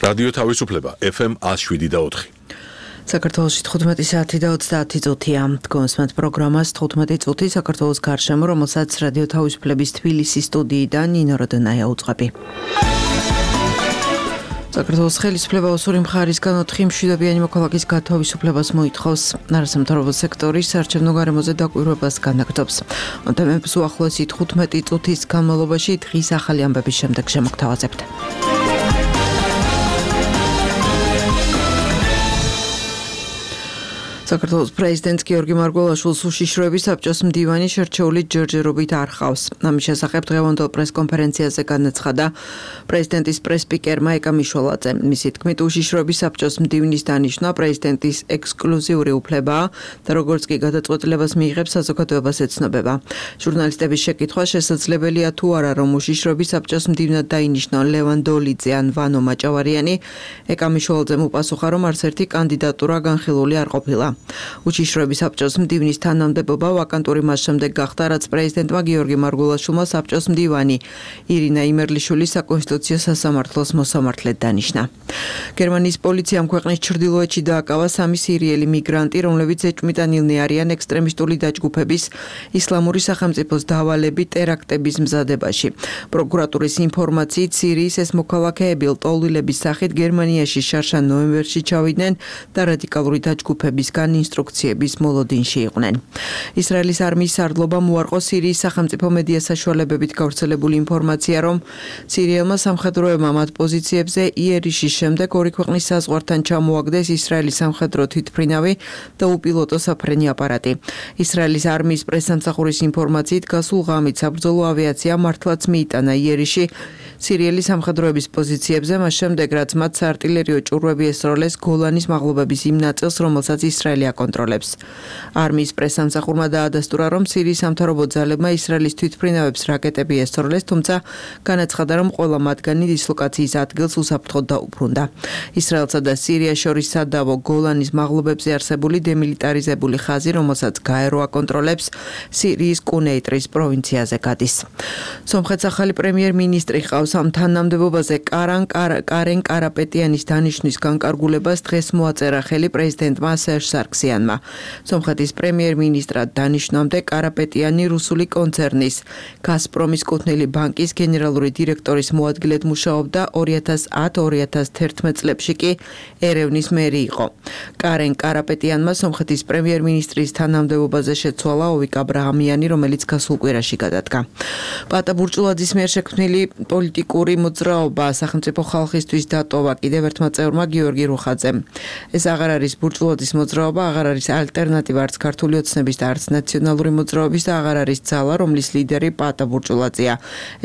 რადიო თავისუფლება FM 107.4. საქართველოში 15 საათი და 30 წუთია. გონსმენთ პროგრამას 15 წუთი საქართველოს გარშემო, რომელსაც რადიო თავისუფლების თბილისის სტუდიიდან ნინო როდონაია უძღვები. საქართველოს ხელისუფლება ოსური მხარისგან 4 მშვიდობიანი მოქალაქის გათავისუფლებას მოითხოვს. არასამთავრობო სექტორის საარჩევნო გარემოზე დაკვირვებას განაგრძობს. თემებს უახლოესი 15 წუთის განმავლობაში დღის ახალი ამბების შემდეგ შემოგთავაზებთ. საქართველოს პრეზიდენტ გიორგი მარგველაშვილს უშიშროების საბჭოს მდივანი შერჩეული ჯერჯერობით არ ჰყავს. ამის შესახებ დღევანდელ პრესკონფერენციაზე განაცხადა პრეზიდენტის პრესსპიკერმა ეკა მიშველაძე. მისი თქმით, უშიშროების საბჭოს მდივნის დანიშვნა პრეზიდენტის ექსკლუზიური უფლებაა და როგორც კი გადაწყვეტილებას მიიღებს, საზოგადოებას ეცნობება. ჟურნალისტების შეკითხვა შესაძლებელია თუ არა, რომ უშიშროების საბჭოს მდივნად დაინიშნონ ლევან დოლიძე ან ვანო მაჭავარიანი. ეკა მიშველაძემ უპასუხა, რომ არც ერთი კანდიდატურა განხილული არ ყოფილა. უშიშროების საბჭოს მდივნის თანამდებობა ვაკანტური მას შემდეგ გახდა, რაც პრეზიდენტმა გიორგი მარგველაშვილმა საბჭოს მდივანი ირინა იმერლიშვილი საკონსტიტუციო სასამართლოს მოსამართლედ დანიშნა. გერმანიის პოლიციამ ქვეყნის ჩრდილოეთში დააკავა 3 სირიელი მიგრანტი, რომლებიც ეჭვმიტანილნი არიან ექსტრემისტული დაჯგუფების ისლამური სახელმწიფოს დავალებით ტერაქტების მზადებაში. პროკურატურის ინფორმაციით, სირიის ეს მოქალაქეები ლტოლვილების სახით გერმანიაში შარშან ნოემბერში ჩავიდნენ და რადიკალური დაჯგუფებისგან ინსტრუქციების მოლოდინში იყვნენ. ისრაელის არმიის სარდლობამ უარყო სირიის სახელმწიფო მედია საშუალებებით გავრცელებული ინფორმაცია, რომ სირიელმა სამხედროებმა მათ პოზიციებზე იერიშის შემდეგ ორი ქვეყნის საზღვართან ჩამოაგდეს ისრაელის სამხედრო თვითმფრინავი და უპილოტო საფრენი აპარატი. ისრაელის არმიის პრესსამსახურის ინფორმაციით, გასულ ღამით საბრძოლო ავიაცია მართლაც მიიტანა იერიში სირიელი სამხედროების პოზიციებზე, მას შემდეგ რაც მათ საარტილერიო ჭურვები ესროლეს გოლანის მაღლობების იმ ნაწილს, რომელსაც ისრაელი აკონტროლებს. არმიის პრესსამსახურმა დაადასტურა, რომ სირიის სამთავრობო ძალებმა ისრაელის თვითმფრინავებს რაკეტები ესროლეს, თუმცა განაცხადა, რომ ყველა მათგანი დისლოკაციის ადგილს უსაფრთხოდ დაუბრუნდა. ისრაელსა და სირიას შორის სადავო გოლანის მაღლობებზე არსებული დემილიტარიზებული ხაზი, რომელსაც გაერო აკონტროლებს, სირიის კუნეიტრის პროვინციაზე გადის. სომხეთს ახალი პრემიერ-მინისტრი ჰყავს. ამ თანამდებობაზე კარენ კარაპეტიანის დანიშვნის განკარგულებას დღეს მოაწერა ხელი პრეზიდენტმა სერჟ სარქსიანმა. სომხეთის პრემიერ-მინისტრად დანიშნამდე კარაპეტიანი რუსული კონცერნის გაზპრომის კუთვნილი ბანკის გენერალური დირექტორის მოადგილედ მუშაობდა 2010-2011 წლებში კი ერევნის მერი იყო. კარენ კარაპეტიანმა სომხეთის პრემიერ-მინისტრის თანამდებობაზე შეცვალა ოვიკ აბრაამიანი, რომელიც გასულ კვირაში გადადგა. პატა ბურჭულაძის მიერ შექმნილი პოლიტიკური მოძრაობა სახელმწიფო ხალხისთვის დატოვა კიდევ ერთმა წევრმა გიორგი რუხაძემ. ეს აღარ არის ბურჭულაძის მოძრაობა, აღარ არის ალტერნატივა არც ქართული ოცნების და არც ნაციონალური მოძრაობის და აღარ არის ძალა, რომლის ლიდერი პატა ბურჭულაძეა.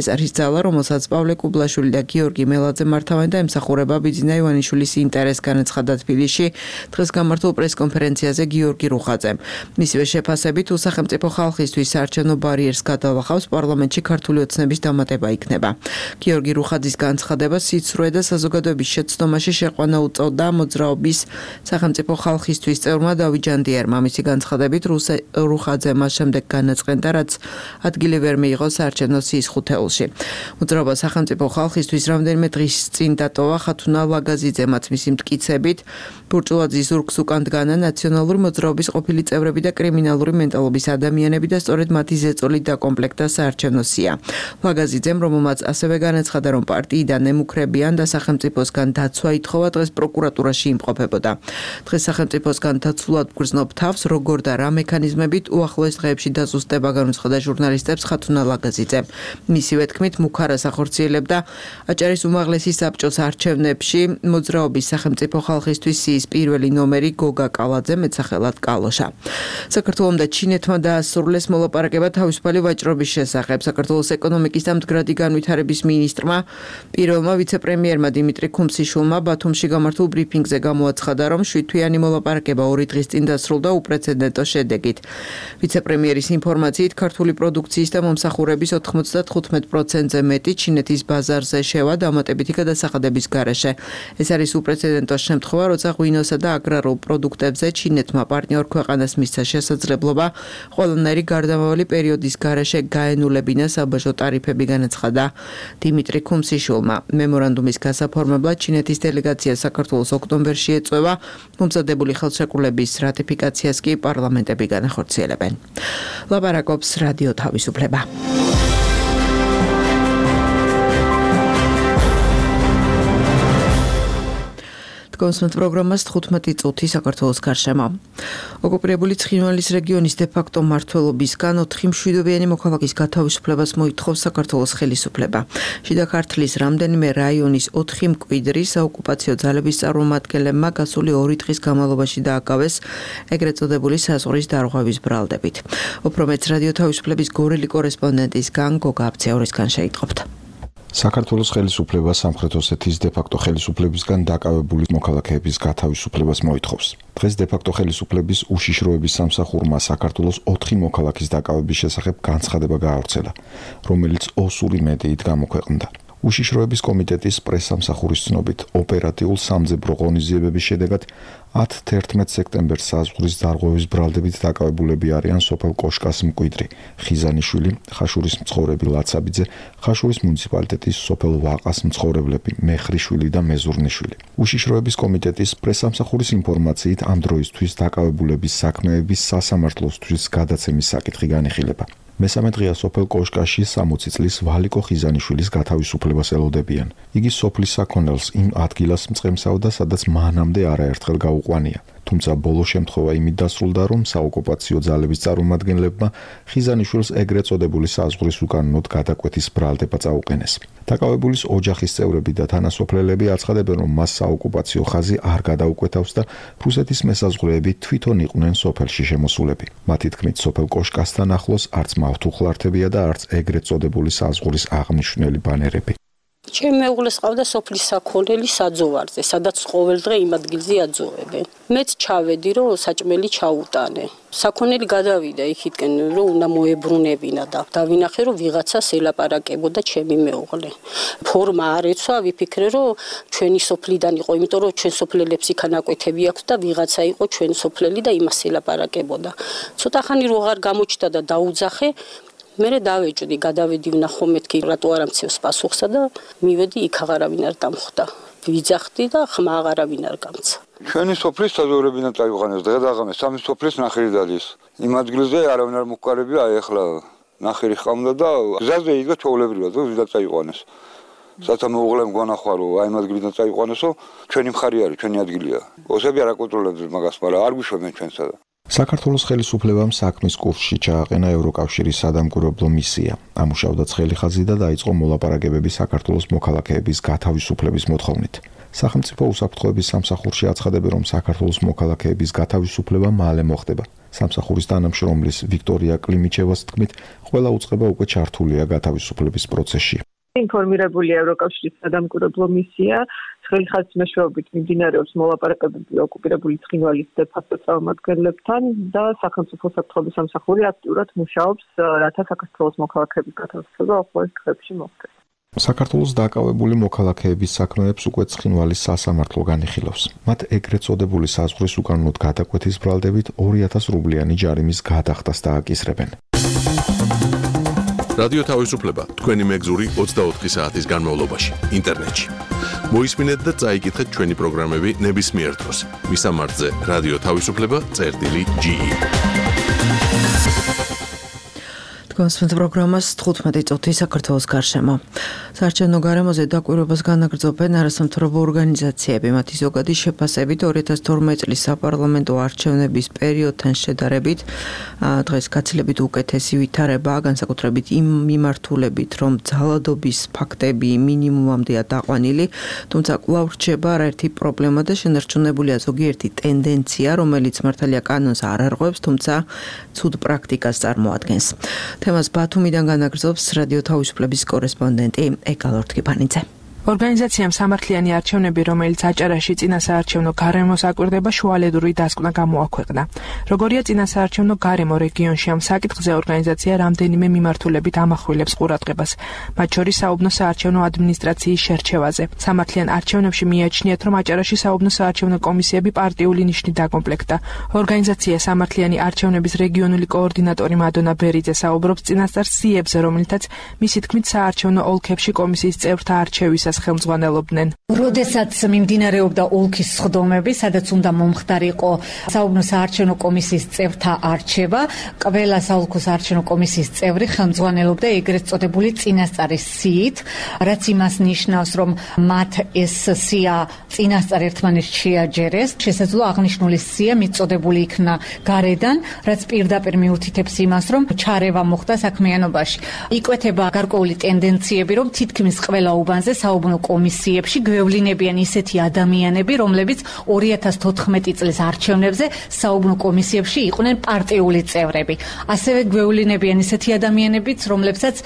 ეს არის ძალა, რომელსაც პავლე კუბლაშვილი და გიორგი მელაძე მართავენ და ემსახურება ბიძინა ივანიშვილის ინტერესს, განაცხადა თბილისში დღეს გამართულ პრესკონფერენციაზე გიორგი რუხაძემ. მისივე შეფასებით, სახელმწიფო ხალხისთვის საარჩევნო ბარიერს გადალახავს, პარლამენტში ქართული ოცნების დამატება იქნება. გიორგი რუხაძის განცხადებას სიცრუე და საზოგადოების შეცდომაში შეყვანა უწევდა მოძრაობის სახელმწიფო ხალხისთვის წევრმა დავით ჯანდიერმა. მისი განცხადებით, რუხაძე მას შემდეგ განაწყენდა, რაც ადგილი ვერ მიიღო საარჩევნო სიის ხუთეულში. მოძრაობა სახელმწიფო ხალხისთვის რამდენიმე დღის წინ დატოვა ხათუნა ლაგაზიძემაც მისი მტკიცებით, ბურჭულაძის ზურგს უკან დგანა ნაციონალური მოძრაობის ყოფილი წევრები და კრიმინალური მენტალობის ადამიანები და სწორედ მათი ზეწოლით დაკომპლექტდა საარჩევნო სია. ლაგაზიძემ, რომელმაც ასევე განაცხადა, რომ პარტიიდან ემუქრებიან და სახელმწიფოსგან დაცვა ითხოვა, დღეს პროკურატურაში იმყოფებოდა. დღეს სახელმწიფოსგან დაცულად გრძნობ თავს, როგორ და რა მექანიზმებით უახლოეს დღეებში დაზუსტება, განუცხადა ჟურნალისტებს ხათუნა ლაგაზიძემ. მისივე თქმით, მუქარას ახორციელებდა აჭარის უმაღლესი საბჭოს არჩევნებში მოძრაობის სახელმწიფო ხალხისთვის სიის პირველი ნომერი გოგა კალაძე, მეტსახელად კალოშა. საქართველომ და ჩინეთმა დაასრულეს მოლაპარაკება თავისუფალი ვაჭრობის შესახებ. საქართველოს ეკონომიკის და მდგრადი განვითარების მინისტრმა, პირველმა ვიცე-პრემიერმა დიმიტრი ქუმსიშვილმა ბათუმში გამართულ ბრიფინგზე გამოაცხადა, რომ 7 თვიანი მოლაპარაკება 2 დღის წინ დასრულდა უპრეცედენტო შედეგით. ვიცე-პრემიერის ინფორმაციით, ქართული პროდუქციის და მომსახურების 95%-ზე მეტი ჩინეთის ბაზარზე შევა დამატებითი გადასახადების გარეშე. ეს არის უპრეცედენტო შემთხვევა, როცა ღვინოსა და აგრარულ პროდუქტებზე ჩინეთმა პარტნიორ ქვეყანას მისცა შესაძლებლობა ყველანაირი გარდამავალი პერიოდის გარეშე გაენულებინა საბაჟო ტარიფები, განაცხადა დიმიტრი ქუმსიშვილმა. მემორანდუმის გასაფორმებლად ჩინეთის დელეგაცია საქართველოს ოქტომბერში ეწევა, მომზადებული ხელშეკრულების რატიფიკაციას კი პარლამენტები განახორციელებენ. ლაპარაკობს რადიო თავისუფლება. კონსმეთ პროგრამას 15 წუთი საქართველოს გარშემო. ოკუპირებული ცხინვალის რეგიონის დე-ფაქტო მმართველობისგან 4 მშვიდობიანი მოქალაქის გათავისუფლებას მოითხოვს საქართველოს ხელისუფლება. შიდა ქართლის რამდენიმე რაიონის 4 მკვიდრი საოკუპაციო ძალების წარმომადგენლებმა გასული 2 დღის განმავლობაში დააკავეს ეგრეთ წოდებული საზღვრის დარღვევის ბრალდებით. უფრო მეც რადიო თავისუფლების გორელი კორესპონდენტისგან გოგა აბცეორისგან შეიტყობთ. საქართველოს ხელისუფლება სამხრეთ ოსეთის დე-ფაქტო ხელისუფლებისგან დაკავებული მოქალაქეების გათავისუფლებას მოითხოვს. დღეს დე-ფაქტო ხელისუფლების უშიშროების სამსახურმა საქართველოს 4 მოქალაქის დაკავების შესახებ განცხადება გაავრცელა, რომელიც ოსური მედიით გამოქვეყნდა. უშიშროების კომიტეტის პრესსამსახურის ცნობით, ოპერატიულ სამძებრო ღონისძიებების შედეგად 10-11 სექტემბერს საზღვრის დარღვევის ბრალდებით დაკავებულები არიან სოფელ კოშკას მკვიდრი, ხიზანიშვილი, ხაშურის მცხოვრები ლაცაბიძე, ხაშურის მუნიციპალიტეტის სოფელ ვაყას მცხოვრებლები, მეხრიშვილი და მეზურნიშვილი. უშიშროების კომიტეტის პრესსამსახურის ინფორმაციით ამ დროისთვის დაკავებულების საქმეების სასამართლოსთვის გადაცემის საკითხი განიხილება. მესამე დღეა სოფელ კოშკაში 60 წლის ვალიკო ხიზანიშვილის გათავისუფლებას ელოდებიან. იგი სოფლის საქონელს იმ ადგილას მწყემსავდა, სადაც მანამდე არაერთხელ გაუყვანია. თუმცა ბოლო შემთხვევა იმით დასრულდა, რომ საოკუპაციო ძალების წარმომადგენლებმა ხიზანიშვილს ეგრეთ წოდებული საზღვრის უკანონოდ გადაკვეთის ბრალდება წაუყენეს. დაკავებულის ოჯახის წევრები და თანასოფლელები აცხადებენ, რომ მას საოკუპაციო ხაზი არ გადაუკვეთავს და რუსეთის მესაზღვრეები თვითონ იყვნენ სოფელში შემოსულები. მათი თქმით, სოფელ კოშკასთან ახლოს არც მავთუხლართებია და არც ეგრეთ წოდებული საზღვრის აღმნიშვნელი ბანერები. ჩემ მეუღლეს ყავდა სოფლის საქონელი საძოვარზე, სადაც ყოველდღე იმ ადგილზე აძოვებენ. მეც ჩავედი, რომ საჭმელი ჩაუტანე. საქონელი გადავიდა იქითკენ, რომ უნდა მოებრუნებინა და დავინახე, რომ ვიღაცას ელაპარაკებოდა ჩემი მეუღლე. ფორმა არ ეცვა, ვიფიქრე, რომ ჩვენი სოფლიდან იყო, იმიტომ რომ ჩვენ სოფლელებს იქან აკვეთები აქვს და ვიღაცა იყო ჩვენ სოფლელი და იმას ელაპარაკებოდა. ცოტა ხანი რო აღარ გამოჩნდა და დაუძახე, მე დავეჭდი, გადავედი ვნახო მეთქი რატო არ ამცევს პასუხსა და მივედი იქ აღარავინ არ დამხვდა. ვიძახდი და ხმა აღარავინ არ გამცა. ჩვენი სოფლის საზოგადოებიდან წაიყვანეს დღე დაღამეს სამი სოფლის ნახირი დადის. იმ ადგილზე არავინ არ მოყარებია, აი ახლა ნახირი ხამდა და გზაზე იდგა ჩვეულებრივად, რომ ვიდა წაიყვანეს. სათა მეუღლემ გვანახვა, რომ აი იმ ადგილიდან წაიყვანესო, ჩვენი მხარი არის, ჩვენი ადგილია. ოსები არ აკონტროლებს მაგას, მაგრამ არ გვიშვებენ ჩვენსა და საქართველოს ხელისუფლებამ საქმის კურსში ჩააყენა ევროკავშირის სადამკვირვებლო მისია. ამუშავდა ცხელი ხაზი და დაიწყო მოლაპარაკებები საქართველოს მოქალაქეების გათავისუფლების მოთხოვნით. სახელმწიფო უსაფრთხოების სამსახურში აცხადებენ, რომ საქართველოს მოქალაქეების გათავისუფლება მალე მოხდება. სამსახურის თანამშრომლის ვიქტორია კლიმიჩევას თქმით, ყველა უწყება უკვე ჩართულია გათავისუფლების პროცესში. ინფორმირებულია ევროკავშირის სადამკვირვებლო მისია, ცხელი ხაზის მეშვეობით მიმდინარეობს მოლაპარაკებები ოკუპირებული ცხინვალის დე-ფაქტო წარმომადგენლებთან და სახელმწიფო უსაფრთხოების სამსახური აქტიურად მუშაობს, რათა საქართველოს მოქალაქეების გათავისუფლება უახლოეს დღეებში მოხდეს. საქართველოს დაკავებული მოქალაქეების საქმეებს უკვე ცხინვალის სასამართლო განიხილავს. მათ ეგრეთ წოდებული საზღვრის უკანონოდ გადაკვეთის ბრალდებით 2000 რუბლიანი ჯარიმის გადახდას დააკისრებენ. რადიო თავისუფლება თქვენი მეგზური 24 საათის განმავლობაში ინტერნეტში. მოისმინეთ და წაიკითხეთ ჩვენი პროგრამები ნებისმიერ დროს. მისამართზე რადიო თავისუფლება.ge. კონსმეთ პროგრამას 15 წუთი საქართველოს გარშემო. საარჩევნო გარემოზე დაკვირვებას განაგრძობენ არასამთავრობო ორგანიზაციები. მათი ზოგადი შეფასებით 2012 წლის საპარლამენტო არჩევნების პერიოდთან შედარებით დღეს გაცილებით უკეთესი ვითარებაა, განსაკუთრებით იმ მიმართულებით, რომ ძალადობის ფაქტები მინიმუმამდეა დაყვანილი, თუმცა კვლავ რჩება არაერთი პრობლემა და შენარჩუნებულია ზოგიერთი ტენდენცია, რომელიც მართალია კანონს არ არღვევს, თუმცა ცუდ პრაქტიკას წარმოადგენს. თემას ბათუმიდან განაგრძობს რადიო თავისუფლების კორესპონდენტი ეკალორთქიფანიძე. ორგანიზაციამ სამართლიანი არჩევნები, რომელიც აჭარაში წინასაარჩევნო გარემოს აკვირდება, შუალედური დასკვნა გამოაქვეყნა. Როგორია წინასაარჩევნო გარემო რეგიონში, ამ საკითხზე ორგანიზაცია რამდენიმე მიმართულებით ამახვილებს ყურადღებას, მათ შორის საუბნო საარჩევნო ადმინისტრაციის შერჩევაზე. სამართლიან არჩევნებში მიაჩნიათ, რომ აჭარაში საუბნო საარჩევნო კომისიები პარტიული ნიშნით დაკომპლექტდა. ორგანიზაცია სამართლიანი არჩევნების რეგიონული კოორდინატორი მადონა ბერიძე საუბრობს წინასწარ სიებზე, რომელთაც მისი თქმით საარჩევნო ოლქებში კომისიის წევრთა არჩევისას ხელმძღვანელობდნენ. როდესაც მიმდინარეობდა ოლქის სხდომები, სადაც უნდა მომხდარიყო საუბნო საარჩევნო კომისიის წევრთა არჩევა, ყველა საოლქო საარჩევნო კომისიის წევრი ხელმძღვანელობდა ეგრეთ წოდებული წინასწარის სიით, რაც იმას ნიშნავს, რომ მათ ეს სია წინასწარ ერთმანეთს შეაჯერეს, შესაძლოა აღნიშნული სია მიწოდებული იქნა გარედან, რაც პირდაპირ მიუთითებს იმას, რომ ჩარევა მოხდა საქმიანობაში. იკვეთება გარკვეული ტენდენციები, რომ თითქმის ყველა უბანზე საუბნო კომისიებში გვევლინებიან ისეთი ადამიანები, რომლებიც 2014 წლის არჩევნებზე საუბნო კომისიებში იყვნენ პარტიული წევრები. ასევე გვევლინებიან ისეთი ადამიანებიც, რომლებსაც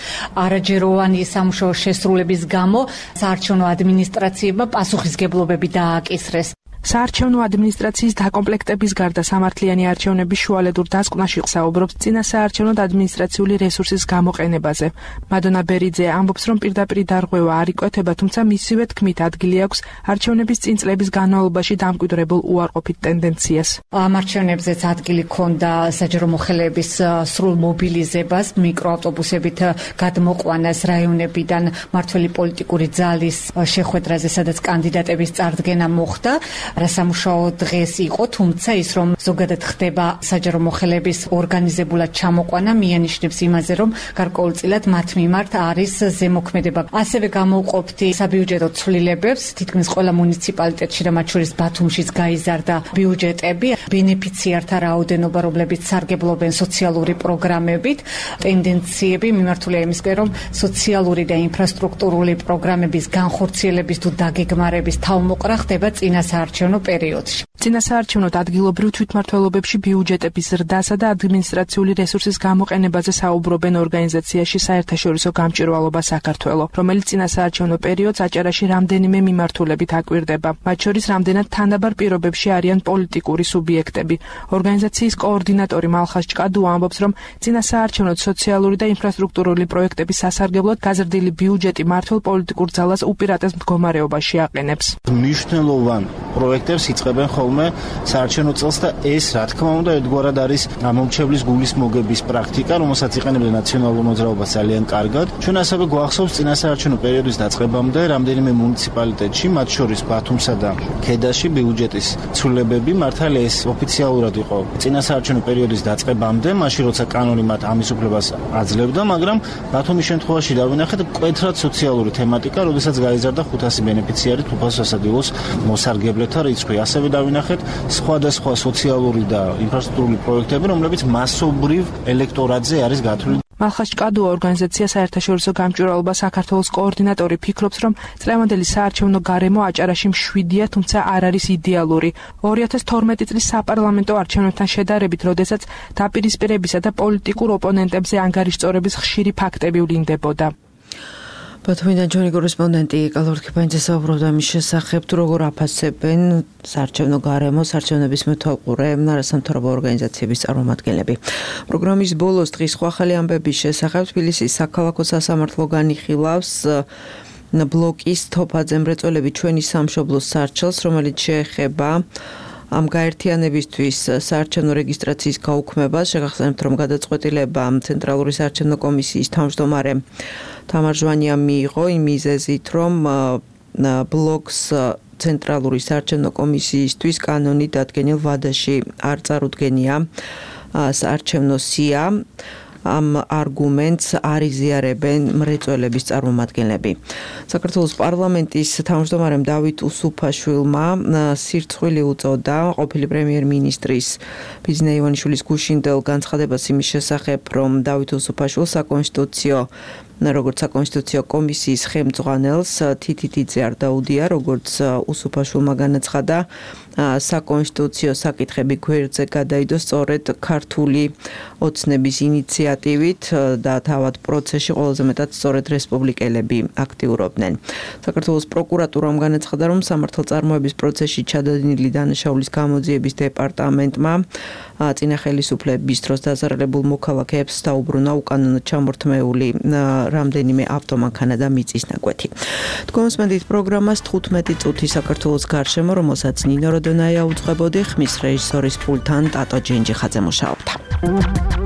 არაჯეროვანი სამუშაო შესრულების გამო საარჩევნო ადმინისტრაციებმა პასუხისგებლობები დააკისრეს. საარჩევნო ადმინისტრაციის დაკომპლექტების გარდა სამართლიანი არჩევნების შუალედურ დასკვნაში საუბრობს წინასაარჩევნო ადმინისტრაციული რესურსის გამოყენებაზე. მადონა ბერიძე ამბობს, რომ პირდაპირ დარღვევა არ იკვეთება, თუმცა მისივე თქმით ადგილი აქვს არჩევნების წინ წლების განმავლობაში დამკვიდრებულ უარყოფით ტენდენციას. ამ არჩევნებზეც ადგილი ჰქონდა საჯარო მოხელეების სრულ მობილიზებას, მიკროავტობუსებით გადმოყვანას რაიონებიდან მმართველი პოლიტიკური ძალის შეხვედრაზე, სადაც კანდიდატების წარდგენა მოხდა. რასამუშაო დღეს იყო, თუმცა ის რომ ზოგადად ხდება საჯარო მოხელეების ორგანიზებულად ჩამოყვანა, მიანიშნებს იმაზე, რომ გარკვეულწილად მათ მიმართ არის ზემოქმედება. ასევე გამოვყოფთ საბიუჯეტო ცვლილებებს, თითქმის ყველა მუნიციპალიტეტში და მათ შორის ბათუმშიც გაიზარდა ბიუჯეტები, ბენეფიციართა რაოდენობა, რომლებიც სარგებლობენ სოციალური პროგრამებით, ტენდენციები მიმართულია იმისკენ, რომ სოციალური და ინფრასტრუქტურული პროგრამების განხორციელების თუ დაგეგმარების თავმოყრა ხდება წინასაარჩევნო პერიოდში. წინასაარჩევნო ადგილობრივ თვითმმართველობებში ბიუჯეტების ზრდასა და ადმინისტრაციული რესურსის გამოყენებაზე საუბრობენ ორგანიზაციაში საერთაშორისო გამჭვირვალობა საქართველო, რომელიც წინასაარჩევნო პერიოდს აჭარაში რამდენიმე მიმართულებით აკვირდება. მათ შორის რამდენად თანაბარ პირობებში არიან პოლიტიკური სუბიექტები. ორგანიზაციის კოორდინატორი მალხას ჭკადუ ამბობს, რომ წინასაარჩევნო სოციალური და ინფრასტრუქტურული პროექტების სასარგებლოდ გაზრდილი ბიუჯეტი მმართველ პოლიტიკურ ძალას უპირატეს მდგომარეობაში აყენებს. მნიშვნელოვან პროექტებს იწყებენ ხოლმე საარჩევნო წელს და ეს, რა თქმა უნდა, ერთგვარად არის მომჩევლის გულის მოგების პრაქტიკა, რომელსაც იყენებდა ნაციონალურ მოძრაობას ძალიან კარგად. ჩვენ ასევე გვახსოვს წინასაარჩევნო პერიოდის დაწყებამდე რამდენიმე მუნიციპალიტეტში, მათ შორის ბათუმსა და ქედაში ბიუჯეტის ცვლილებები მართალია ეს ოფიციალურად იყო წინასაარჩევნო პერიოდის დაწყებამდე, მაშინ როცა კანონი მათ ამის უფლებას აძლევდა, მაგრამ ბათუმის შემთხვევაში დავინახეთ მკვეთრად სოციალური თემატიკა, როდესაც გაიზარდა 500 ბენეფიციარი თუფას სასადილოს მოსარგებლეთა რიცხვი. ასევე დავინახეთ სხვადასხვა სოციალური და ინფრასტრუქტურული პროექტები, რომლებიც მასობრივ ელექტორატზე არის გათვლილი. მალხას ჭკადუ ორგანიზაცია საერთაშორისო გამჭვირვალობა საქართველოს კოორდინატორი ფიქრობს, რომ წლევანდელი საარჩევნო გარემო აჭარაში მშვიდია, თუმცა არ არის იდეალური. 2012 წლის საპარლამენტო არჩევნებთან შედარებით, როდესაც დაპირისპირებისა და პოლიტიკურ ოპონენტებზე ანგარიშწორების ხშირი ფაქტები ვლინდებოდა. ბათუმიდან ჩვენი კორესპონდენტი კალორქიფანიძე საუბრობდა მის შესახებ, თუ როგორ აფასებენ საარჩევნო გარემოს არჩევნების მეთვალყურე არასამთავრობო ორგანიზაციების წარმომადგენლები. პროგრამის ბოლოს დღის ახალი ამბების შესახებ თბილისის საქალაქო სასამართლო განიხილავს ბლოკის თოფაძე მრეწველები ჩვენი სამშობლოს სარჩელს, რომელიც შეეხება ამ გაერთიანებისთვის საარჩევნო რეგისტრაციის გაუქმებას. შეგახსენებთ, რომ გადაწყვეტილება ცენტრალური საარჩევნო კომისიის თავმჯდომარემ თამარ ჟვანიამ მიიღო იმ მიზეზით, რომ ბლოკს ცენტრალური საარჩევნო კომისიისთვის კანონით დადგენილ ვადაში არ წარუდგენია საარჩევნო სია. ამ არგუმენტს არ იზიარებენ მრეწველების წარმომადგენლები. საქართველოს პარლამენტის თავმჯდომარემ დავით უსუფაშვილმა სირცხვილი უწოდა ყოფილი პრემიერ-მინისტრის ბიძინა ივანიშვილის გუშინდელ განცხადებას იმის შესახებ, რომ დავით უსუფაშვილს როგორც საკონსტიტუციო კომისიის ხელმძღვანელს თითითიძე არ დაუდია, როგორც უსუფაშვილმა განაცხადა, საკონსტიტუციო საკითხები გვერდზე გადაიდო სწორედ ქართული ოცნების ინიციატივით და თავად პროცესში ყველაზე მეტად სწორედ რესპუბლიკელები აქტიურობდნენ. საქართველოს პროკურატურამ განაცხადა, რომ სამართალწარმოების პროცესში ჩადენილი დანაშაულის გამოძიების დეპარტამენტმა წინა ხელისუფლების დროს დაზარალებულ მოქალაქეებს დაუბრუნა უკანონოდ ჩამორთმეული რამდენიმე ავტომანქანა და მიწის ნაკვეთი. თქვენსმენდით პროგრამას 15 წუთი საქართველოს გარშემო, რომელსაც ნინო როდონაია უძღვებოდი, ხმის რეჟისორის პულტთან ტატო ჯენჯიხაძე მუშაობდა.